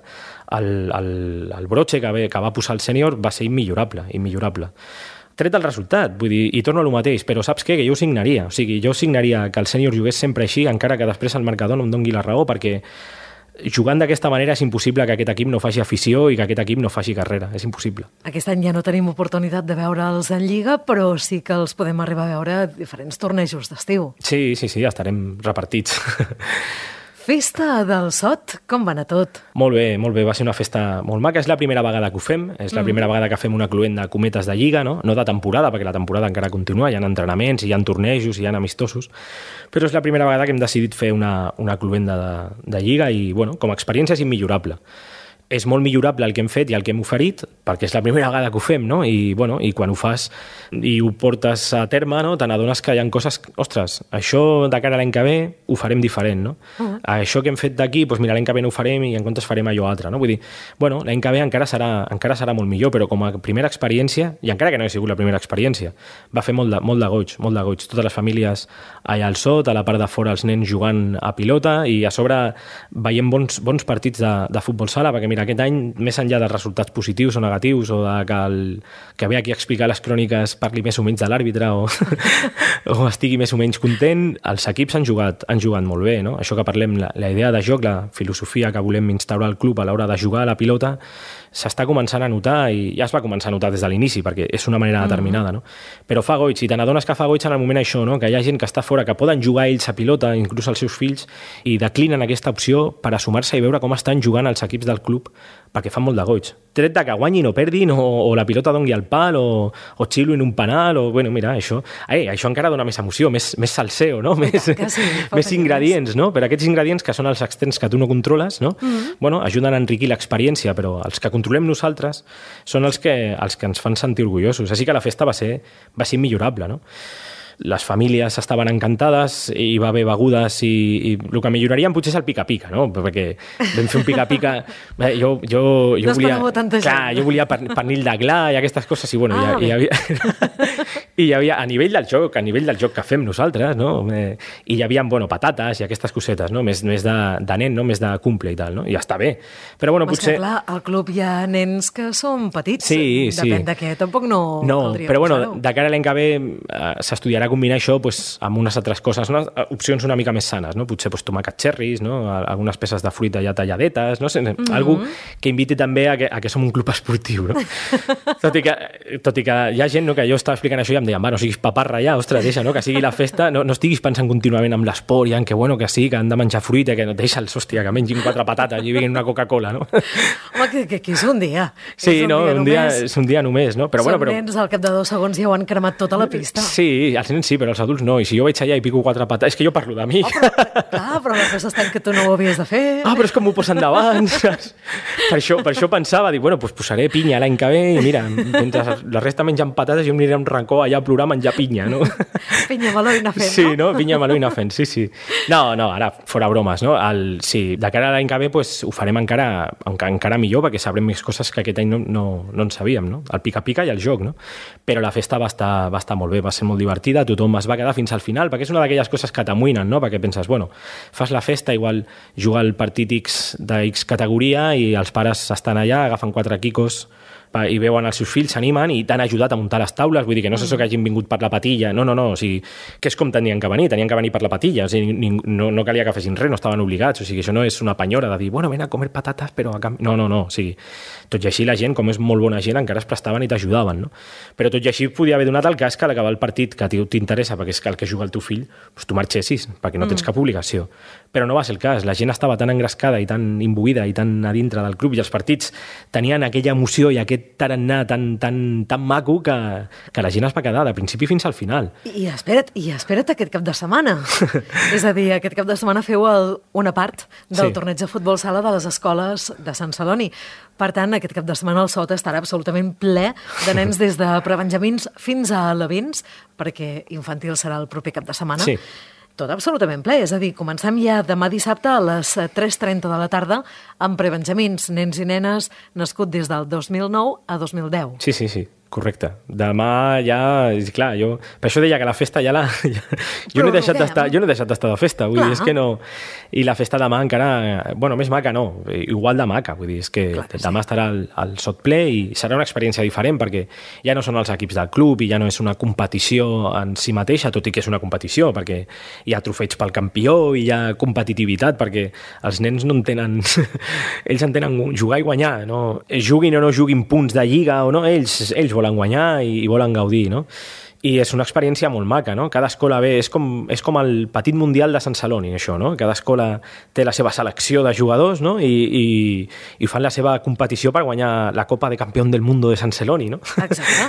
el, el, el brotxe que, ve, que va posar el sènior va ser immillorable, immillorable. Tret el resultat, vull dir, i torno a lo mateix, però saps què? Que jo ho signaria, o sigui, jo signaria que el sènior jugués sempre així, encara que després el marcador no em doni la raó, perquè jugant d'aquesta manera és impossible que aquest equip no faci afició i que aquest equip no faci carrera, és impossible. Aquest any ja no tenim oportunitat de veure'ls en Lliga, però sí que els podem arribar a veure a diferents tornejos d'estiu. Sí, sí, sí, estarem repartits. Festa del Sot, com va anar tot? Molt bé, molt bé, va ser una festa molt maca, és la primera vegada que ho fem, és la mm. primera vegada que fem una cluent de cometes de Lliga, no? No de temporada, perquè la temporada encara continua, hi ha entrenaments, hi ha tornejos, hi ha amistosos, però és la primera vegada que hem decidit fer una, una cluent de, de Lliga i, bueno, com a experiència és immillorable. És molt millorable el que hem fet i el que hem oferit, perquè és la primera vegada que ho fem, no? I, bueno, i quan ho fas i ho portes a terme, no? Te n'adones que hi ha coses... Ostres, això de cara a l'any que ve ho farem diferent, no? Uh-huh. Això que hem fet d'aquí, doncs mira, l'any que ve no ho farem i en comptes farem allò altre, no? Vull dir, bueno, l'any que ve encara serà, encara serà molt millor, però com a primera experiència, i encara que no ha sigut la primera experiència, va fer molt de, molt de goig, molt de goig. Totes les famílies allà al Sot, a la part de fora els nens jugant a pilota i a sobre veient bons, bons partits de, de futbol sala, perquè mira, aquest any, més enllà dels resultats positius o negatius o de que, el, que ve aquí a explicar les cròniques parli més o menys de l'àrbitre o, o estigui més o menys content, els equips han jugat, han jugat molt bé, no? Això que parlem, la, la idea de joc, la filosofia que volem instaurar al club a l'hora de jugar a la pilota s'està començant a notar i ja es va començar a notar des de l'inici perquè és una manera determinada, no? Però fa goig, i te n'adones que fa goig en el moment això, no? Que hi ha gent que està fora, que poden jugar ells a pilota, inclús els seus fills, i declinen aquesta opció per a sumar-se i veure com estan jugant els equips del club perquè fan molt de goig. Tret de que guanyin o perdin o, o la pilota doni al pal o, o xilo en un penal o, bueno, mira, això, eh, això encara dona més emoció, més, més salseo, no? Més, sí, més ingredients, no? Però aquests ingredients que són els externs que tu no controles, no? Mm-hmm. Bueno, ajuden a enriquir l'experiència, però els que controlem nosaltres són els que, els que ens fan sentir orgullosos. Així que la festa va ser, va ser immillorable, no? Les famílies estaven encantades, hi va haver begudes i, i el que milloraríem potser és el pica-pica, no? Perquè vam fer un pica-pica... Eh, jo, jo, jo no volia, tanta gent. Clar, jo volia pernil de gla i aquestes coses i, bueno, ah, hi, hi, havia, i hi havia, a nivell del joc, a nivell del joc que fem nosaltres, no? Eh, i hi havia, bueno, patates i aquestes cosetes, no? Més, més de, de nen, no? Més de cumple i tal, no? I ja està bé. Però, bueno, Mas potser... que, clar, al club hi ha nens que són petits. Sí, sí. Depèn de què, tampoc no, no caldria però, bueno, posar-ho. de cara a l'any que ve eh, s'estudiarà combinar això pues, amb unes altres coses, no? Opcions una mica més sanes, no? Potser pues, tomàquet cherries, no? Algunes peces de fruita ja talladetes, no sé, mm-hmm. algú que inviti també a que, a que som un club esportiu, no? tot, i que, tot i que hi ha gent, no? Que jo estava explicant això i em deien, va, no siguis paparra ja, ostres, deixa, no? Que sigui la festa, no, no estiguis pensant contínuament en l'esport i en que, bueno, que sí, que han de menjar fruita, que no deixa'ls, hòstia, que mengin quatre patates i vinguin una Coca-Cola, no? Home, que, que, que és un dia. Sí, és un no, dia un dia, és un dia només, no? Però, Són bueno, però... nens, al cap de dos segons ja ho han cremat tota la pista. Sí, els nens sí, però els adults no. I si jo vaig allà i pico quatre patates... És que jo parlo de mi. Oh, però, clar, però la cosa està en que tu no ho havies de fer. Ah, però és com m'ho posen davant. per, això, per això pensava, dic, bueno, doncs posaré pinya l'any que ve i mira, mentre la resta menjant patates jo em aniré a un racó allà a plorar a menjar pinya, no? Pinya, meló i nafent, sí, no? Pinya, meló i nafent, sí, sí. No, no, ara, fora bromes, no? El, sí, de cara a l'any que ve pues, ho farem encara, encara millor perquè sabrem més coses que aquest any no, no, no en sabíem, no? El pica-pica i el joc, no? Però la festa va estar, va estar molt bé, va ser molt divertida, tothom es va quedar fins al final, perquè és una d'aquelles coses que t'amoïnen, no? Perquè penses, bueno, fas la festa, igual juga el partit X de X categoria i els pares estan allà, agafen quatre quicos i veuen els seus fills, s'animen i t'han ajudat a muntar les taules, vull dir que no és això que hagin vingut per la patilla, no, no, no, o sigui, que és com tenien que venir, tenien que venir per la patilla, o sigui, no, no calia que fessin res, no estaven obligats, o sigui, això no és una penyora de dir, bueno, ven a comer patates, però a canvi... No, no, no, o sigui, tot i així la gent, com és molt bona gent, encara es prestaven i t'ajudaven, no? Però tot i així podia haver donat el cas que a l'acabar el partit que a tu t'interessa, perquè és que el que juga el teu fill, doncs tu marxessis, perquè no tens cap obligació. Però no va ser el cas, la gent estava tan engrescada i tan imbuïda i tan a dintre del club i els partits tenien aquella emoció i aquest tarannà tan, tan, tan maco que, que la gent es va quedar de principi fins al final. I espera't, i espera't aquest cap de setmana. És a dir, aquest cap de setmana feu el, una part del sí. torneig de futbol sala de les escoles de Sant Celoni. Per tant, aquest cap de setmana el Sot estarà absolutament ple de nens des de prebenjamins fins a alevins, perquè infantil serà el proper cap de setmana. Sí. Tot absolutament ple, és a dir, comencem ja demà dissabte a les tres trenta de la tarda amb prebenjamins, nens i nenes nascut des del dos mil nou a dos mil deu. Sí, sí, sí. correcte. Demà ja... Clar, jo... Per això deia que la festa ja la... Ja, jo, no he deixat d'estar, jo no he deixat d'estar de festa, vull clar. dir, és que no... I la festa demà encara... Bueno, més maca no, igual de maca, vull dir, és que, que demà sí. estarà al, al sot ple i serà una experiència diferent perquè ja no són els equips del club i ja no és una competició en si mateixa, tot i que és una competició, perquè hi ha trofeig pel campió i hi ha competitivitat, perquè els nens no entenen... ells entenen jugar i guanyar, no? Juguin o no juguin punts de lliga o no, ells, ells volen guanyar i, i volen gaudir, no? I és una experiència molt maca, no? Cada escola ve, és com, és com el petit mundial de Sant Celoni, això, no? Cada escola té la seva selecció de jugadors, no? I, i, i fan la seva competició per guanyar la Copa de Campió del Mundo de Sant Celoni, no? Exacte.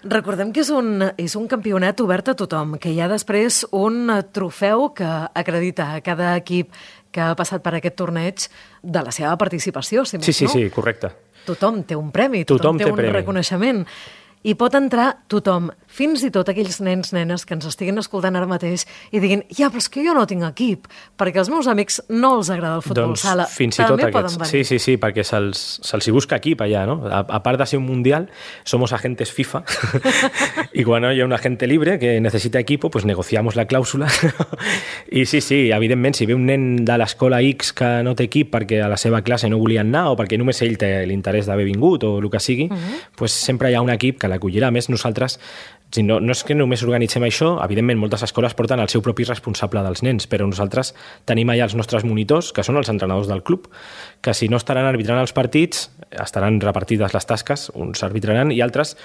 Recordem que és un, és un campionat obert a tothom, que hi ha després un trofeu que acredita a cada equip que ha passat per aquest torneig de la seva participació, si més sí, sí, no? Sí, sí, correcte. Tothom té un premi, tothom, tothom té, té un premi. reconeixement. I pot entrar tothom, fins i tot aquells nens, nenes que ens estiguin escoltant ara mateix i diguin, ja, però és que jo no tinc equip, perquè als meus amics no els agrada el futbol doncs, sala. Fins i tot aquests. Sí, sí, sí, perquè se'ls se hi busca equip allà, no? A, a part de ser un mundial, somos agentes FIFA y cuando hay un agente libre que necesita equipo, pues negociamos la clàusula. I sí, sí, evidentment, si ve un nen de l'escola X que no té equip perquè a la seva classe no volien anar o perquè només ell té l'interès d'haver vingut o el que sigui, uh-huh. pues sempre hi ha un equip que l'acollirà. A més, nosaltres, si no, no és que només organitzem això, evidentment moltes escoles porten el seu propi responsable dels nens, però nosaltres tenim allà els nostres monitors, que són els entrenadors del club, que si no estaran arbitrant els partits, estaran repartides les tasques, uns arbitraran i altres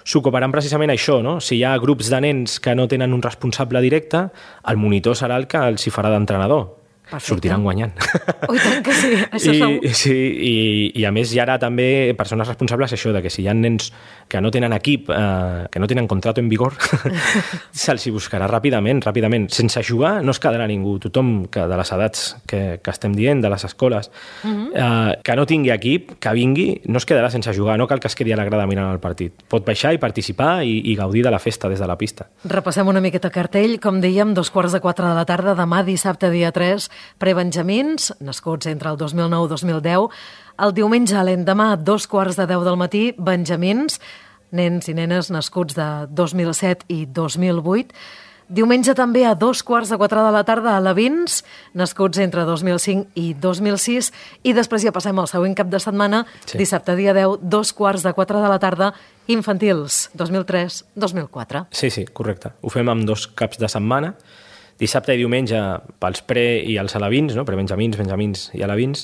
s'ocuparan precisament això, no? Si hi ha grups de nens que no tenen un responsable directe, el monitor serà el que els hi farà d'entrenador. Perfecte. Sortiran guanyant. Oh, tant que sí, això I, segur. Sí, i, i a més hi ha també persones responsables això, de que si hi ha nens que no tenen equip, eh, que no tenen contrato en vigor, se'ls hi buscarà ràpidament, ràpidament. Sense jugar no es quedarà ningú. Tothom que de les edats que, que estem dient, de les escoles, uh-huh. eh, que no tingui equip, que vingui, no es quedarà sense jugar. No cal que es quedi a la grada mirant el partit. Pot baixar i participar i, i gaudir de la festa des de la pista. Repassem una miqueta cartell. Com dèiem, dos quarts de quatre de la tarda, demà dissabte, dia tres, prebenjamins, nascuts entre el dos mil nou i dos mil deu. El diumenge, l'endemà, dos quarts de deu del matí, benjamins, nens i nenes nascuts de dos mil set i dos mil vuit. Diumenge també a dos quarts de quatre de la tarda, alevins, nascuts entre dos mil cinc i dos mil sis. I després ja passem al següent cap de setmana, sí. Dissabte, dia deu, dos quarts de quatre de la tarda, infantils, dos mil tres a dos mil quatre. Sí, sí, correcte. Ho fem amb dos caps de setmana. Dissabte i diumenge pels pre i els alevins, no? Prebenjamins, benjamins i alevins,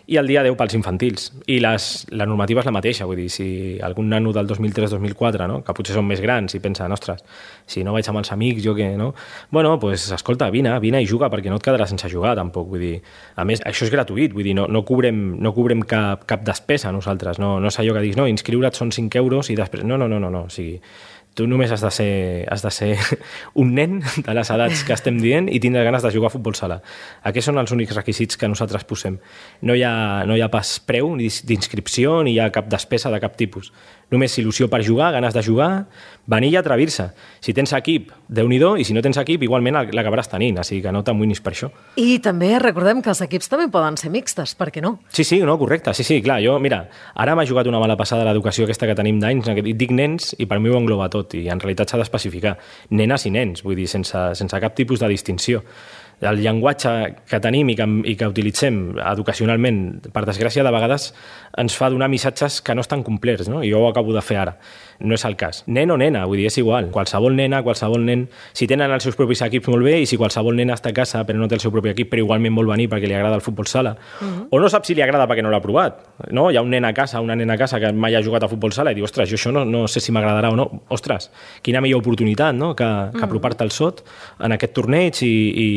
i el dia deu pels infantils. I les, la normativa és la mateixa, vull dir, si algun nano del dos mil tres dos mil quatre, no? Que potser són més grans i pensen, ostres, si no vaig amb els amics, jo què, no? Bueno, doncs, pues, escolta, vine, vine i juga, perquè no et quedaràs sense jugar, tampoc, vull dir. A més, això és gratuït, vull dir, no, no cobrem, no cobrem cap, cap despesa nosaltres, no, no és allò que dius, no, inscriure't són cinc euros i després... No, no, no, no, no, o sigui... Tu només has de ser, has de ser un nen de les edats que estem dient i tindre ganes de jugar a futbol sala. Aquests són els únics requisits que nosaltres posem. No hi ha, no hi ha pas preu ni d'inscripció, ni hi ha cap despesa de cap tipus. Només il·lusió per jugar, ganes de jugar, venir i atrevir-se. Si tens equip, Déu-n'hi-do, i si no tens equip, igualment l'acabaràs tenint, així que no t'amoïnis per això. I també recordem que els equips també poden ser mixtes, per què no? Sí, sí, no, correcte, sí, sí, clar, jo, mira, ara m'ha jugat una mala passada l'educació aquesta que tenim d'anys, dic nens i per mi ho engloba tot, i en realitat s'ha d'especificar nenes i nens, vull dir, sense, sense cap tipus de distinció. El llenguatge que tenim i que, i que utilitzem educacionalment, per desgràcia, de vegades ens fa donar missatges que no estan complets, no? I jo ho acabo de fer ara. No és el cas. Nen o nena, vull dir, és igual. Qualsevol nena, qualsevol nen, si tenen els seus propis equips molt bé, i si qualsevol nena està a casa però no té el seu propi equip, però igualment vol venir perquè li agrada el futbol sala, uh-huh. o no sap si li agrada perquè no l'ha provat, no? Hi ha un nen a casa, una nena a casa que mai ha jugat a futbol sala i diu, ostres, jo això no, no sé si m'agradarà o no. Ostres, quina millor oportunitat, no? Que, que uh-huh. apropar-te al sot en aquest torneig i, i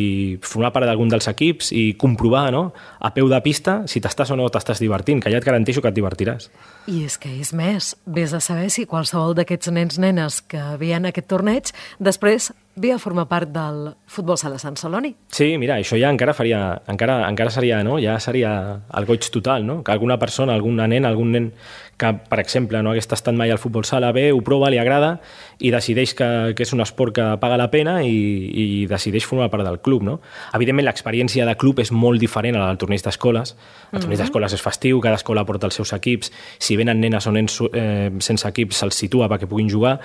formar part d'algun dels equips i comprovar, no? A peu de pista si t'estàs o no t'estàs divertint, que ja et garanteixo que et divertiràs. I és que és més, vés a saber si qualsevol d'aquests nens nenes que veien aquest torneig després ve a formar part del futbol sala Sant Celoni. Sí, mira, això ja encara faria, encara, encara seria, no? Ja seria el goig total, no? Que alguna persona, alguna nena, algun nen que, per exemple, no hagués tastat mai al futbol sala, ve, ho prova, li agrada i decideix que, que és un esport que paga la pena i, i decideix formar part del club. No? Evidentment, l'experiència de club és molt diferent a la del torneig d'escoles. El torneig d'escoles és festiu, cada escola porta els seus equips. Si venen nenes o nens eh, sense equips, se'ls situa perquè puguin jugar,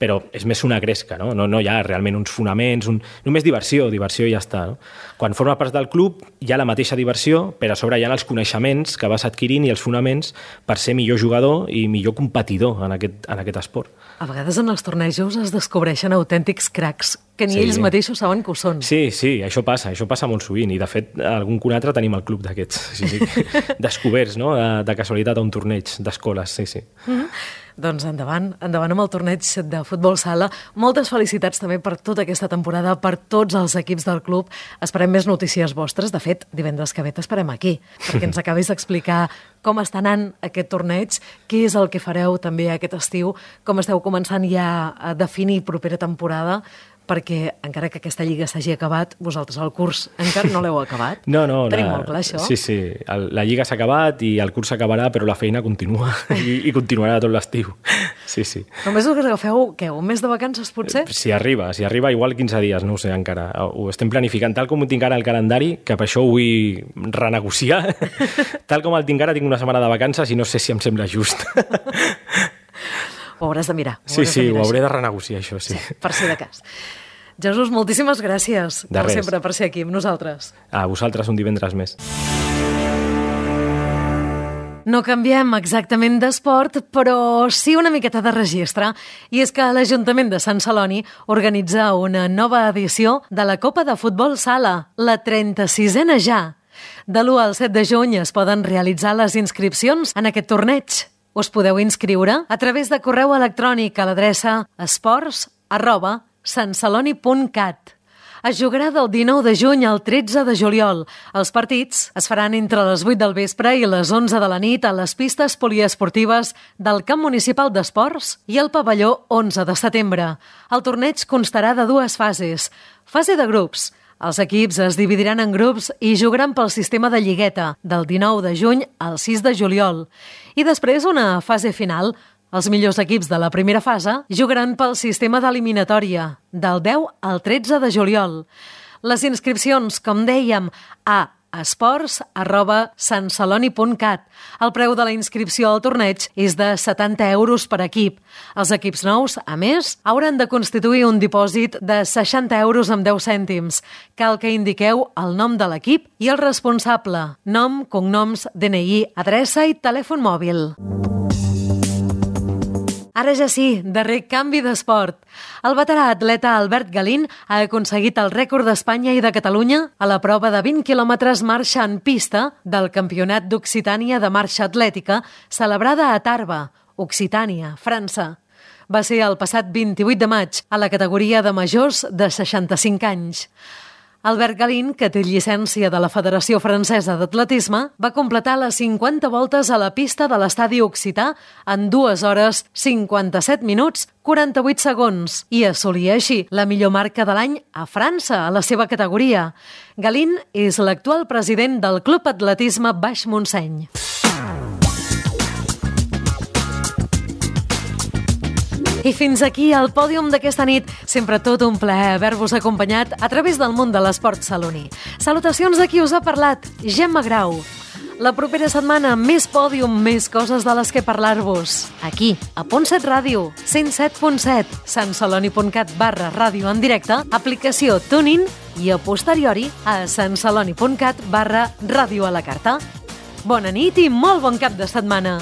però és més una gresca, no? No, no hi ha realment uns fonaments, un... només diversió, diversió i ja està. No? Quan forma part del club hi ha la mateixa diversió, però a sobre hi ha els coneixements que vas adquirint i els fonaments per ser millor jugador i millor competidor en aquest, en aquest esport. A vegades en els tornejos es descobreixen autèntics cracs que ni sí. ells mateixos saben que ho són. Sí, sí, això passa, això passa molt sovint i de fet algun que un altre tenim el club d'aquests, sí, sí. descoberts, no? de, de casualitat a un torneig d'escoles, sí, sí. Mm-hmm. Doncs endavant, endavant amb el torneig de futbol sala. Moltes felicitats també per tota aquesta temporada, per tots els equips del club. Esperem més notícies vostres. De fet, divendres que ve t'esperem aquí, perquè ens acabis d'explicar com està anant aquest torneig, què és el que fareu també aquest estiu, com esteu començant ja a definir propera temporada, perquè encara que aquesta lliga s'hagi acabat, vosaltres el curs encara no l'heu acabat. No, no. Tenim la, molt clar, això. Sí, sí. El, la lliga s'ha acabat i el curs s'acabarà, però la feina continua i, i continuarà tot l'estiu. Sí, sí. Només us agafeu, què, un mes de vacances, potser? Si arriba, si arriba, igual quinze dies, no ho sé encara. Ho estem planificant tal com ho tinc ara el calendari, que per això ho vull renegociar. Tal com el tinc ara, tinc una setmana de vacances i no sé si em sembla just. Ho hauràs de mirar. Sí, sí, ho hauré de renegociar, això, sí. sí. Per si de cas. Jesús, moltíssimes gràcies, de com sempre, per ser aquí amb nosaltres. A vosaltres un divendres més. No canviem exactament d'esport, però sí una miqueta de registre. I és que l'Ajuntament de Sant Celoni organitza una nova edició de la Copa de Futbol Sala, la trenta-sisena ja. De l'u al set de juny es poden realitzar les inscripcions en aquest torneig. Us podeu inscriure a través de correu electrònic a l'adreça esports arroba santceloni punt cat. Es jugarà del dinou de juny al tretze de juliol. Els partits es faran entre les vuit del vespre i les onze de la nit a les pistes poliesportives del Camp Municipal d'Esports i el pavelló onze de setembre. El torneig constarà de dues fases. Fase de grups. Els equips es dividiran en grups i jugaran pel sistema de lligueta del dinou de juny al sis de juliol. I després una fase final. Els millors equips de la primera fase jugaran pel sistema d'eliminatòria del deu al tretze de juliol. Les inscripcions, com dèiem, a esports arroba santceloni punt cat. El preu de la inscripció al torneig és de setanta euros per equip. Els equips nous, a més, hauran de constituir un dipòsit de seixanta euros amb deu cèntims. Cal que indiqueu el nom de l'equip i el responsable. Nom, cognoms, D N I, adreça i telèfon mòbil. Ara ja sí, darrer canvi d'esport. El veterà atleta Albert Galín ha aconseguit el rècord d'Espanya i de Catalunya a la prova de vint quilòmetres marxa en pista del Campionat d'Occitània de Marxa Atlètica celebrada a Tarbes, Occitània, França. Va ser el passat vint-i-vuit de maig a la categoria de majors de seixanta-cinc anys. Albert Galín, que té llicència de la Federació Francesa d'Atletisme, va completar les cinquanta voltes a la pista de l'estadi Occità en dues hores, cinquanta-set minuts, quaranta-vuit segons i assolia així la millor marca de l'any a França, a la seva categoria. Galín és l'actual president del Club Atletisme Baix Montseny. I fins aquí el pòdium d'aquesta nit. Sempre tot un plaer haver-vos acompanyat a través del món de l'esport saloní. Salutacions de qui us ha parlat, Gemma Grau. La propera setmana, més pòdium, més coses de les que parlar-vos. Aquí, a Punt set Ràdio, cent set punt set, santceloni punt cat barra ràdio en directe, aplicació TuneIn i a posteriori a santceloni punt cat barra ràdio a la carta. Bona nit i molt bon cap de setmana.